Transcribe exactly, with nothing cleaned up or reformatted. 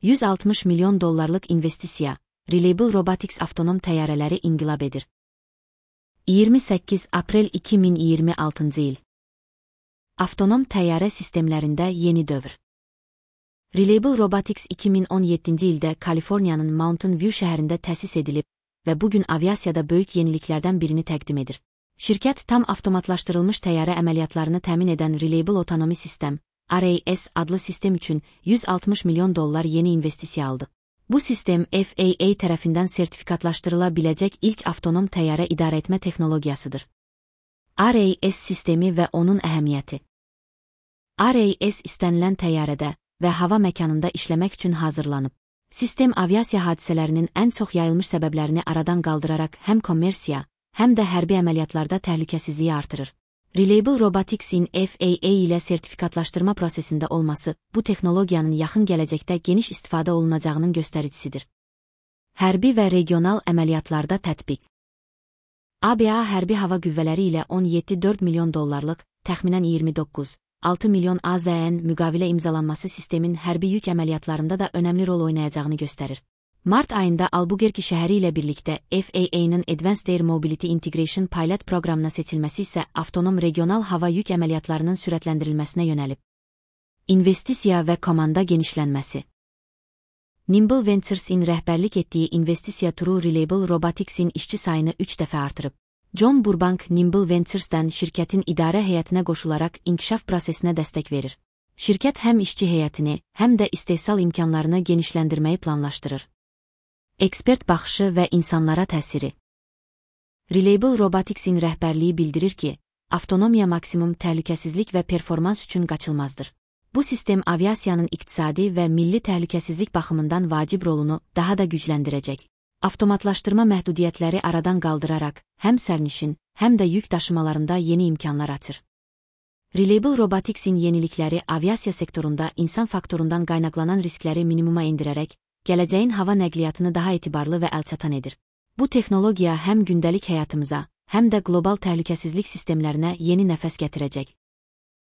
yüz altmış milyon dollarlıq investisiya, Reliable Robotics avtonom təyyarələri inqilab edir. iyirmi səkkiz aprel iki min iyirmi altıncı il. Avtonom təyyarə sistemlərində yeni dövr. Reliable Robotics iki min on yeddinci ildə Kaliforniyanın Mountain View şəhərində təsis edilib və bugün aviasiyada böyük yeniliklərdən birini təqdim edir. Şirkət tam avtomatlaşdırılmış təyyarə əməliyyatlarını təmin edən Reliable Autonomy System, R A S adlı sistem üçün yüz altmış milyon dollar yeni investisiya aldı. Bu sistem F A A tərəfindən sertifikatlaşdırıla biləcək ilk avtonom təyyarə idarəetmə texnologiyasıdır. R A S sistemi və onun əhəmiyyəti. R A S istənilən təyyarədə və hava məkanında işləmək üçün hazırlanıb. Sistem aviasiya hadisələrinin ən çox yayılmış səbəblərini aradan qaldıraraq həm kommersiya, həm də hərbi əməliyyatlarda təhlükəsizliyi artırır. Reliable Robotics'in F A A ilə sertifikatlaşdırma prosesində olması bu texnologiyanın yaxın gələcəkdə geniş istifadə olunacağının göstəricisidir. Hərbi və regional əməliyyatlarda tətbiq. A B A hərbi hava qüvvələri ilə on yeddi nöqtə dörd milyon dollarlıq, təxminən iyirmi doqquz nöqtə altı milyon A Z N müqavilə imzalanması sistemin hərbi yük əməliyyatlarında da önəmli rol oynayacağını göstərir. Mart ayında Albuquerque şəhəri ilə birlikdə F A A'nın Advanced Air Mobility Integration Pilot proqramına seçilməsi isə avtonom regional hava yük əməliyyatlarının sürətləndirilməsinə yönəlib. İnvestisiya və komanda genişlənməsi. Nimble Ventures'in rəhbərlik etdiyi investisiya turu Reliable Robotics'in işçi sayını üç dəfə artırıb. John Burbank Nimble Ventures'dən şirkətin idarə heyətinə qoşularaq inkişaf prosesinə dəstək verir. Şirkət həm işçi heyətini, həm də istehsal imkanlarını genişləndirməyi planlaşdırır. Ekspert baxışı və insanlara təsiri. Reliable Robotics'in rəhbərliyi bildirir ki, avtonomiya maksimum təhlükəsizlik və performans üçün qaçılmazdır. Bu sistem aviasiyanın iqtisadi və milli təhlükəsizlik baxımından vacib rolunu daha da gücləndirəcək. Avtomatlaşdırma məhdudiyyətləri aradan qaldıraraq, həm sərnişin, həm də yük daşımalarında yeni imkanlar açır. Reliable Robotics'in yenilikləri aviasiya sektorunda insan faktorundan qaynaqlanan riskləri minimuma endirərək, gələcəyin hava nəqliyyatını daha etibarlı və əlçatan edir. Bu texnologiya həm gündəlik həyatımıza, həm də qlobal təhlükəsizlik sistemlərinə yeni nəfəs gətirəcək.